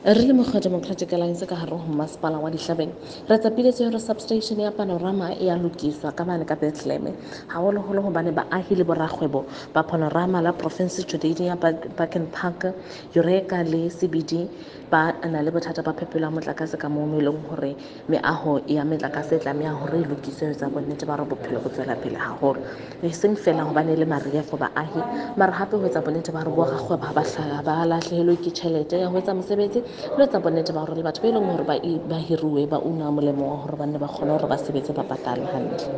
Re le mokgwa Democratic Alliance ka hare ho masepala wa Dihlabeng, re tsapiletse hore substation ya Panorama e ya lokiswa ka mane ka Bethlehem, haholoholo hobane baahi le borakgwebo ba Panorama la province Judea, Baken Park, Eureka le CBD ba na le bothata ba phepelo ya motlakase, ka moo e leng hore meaho ya metlakase e tlameha hore e lokiswe ho etsa bonnete ba hore bophelo bo tswela pele haholo, e seng feela hobane le mariha for baahi, mara hape ho etsa bonnete ba hore borakgwebo ha ba lahlehelwe ke tjhelete ya ho etsa mosebetsi, le ho etsa bonnete ba hore le batho ba e leng hore ba hiruwe ba una molemo wa hore ba nne ba kgone hore ba sebetse ba patalwe hantle.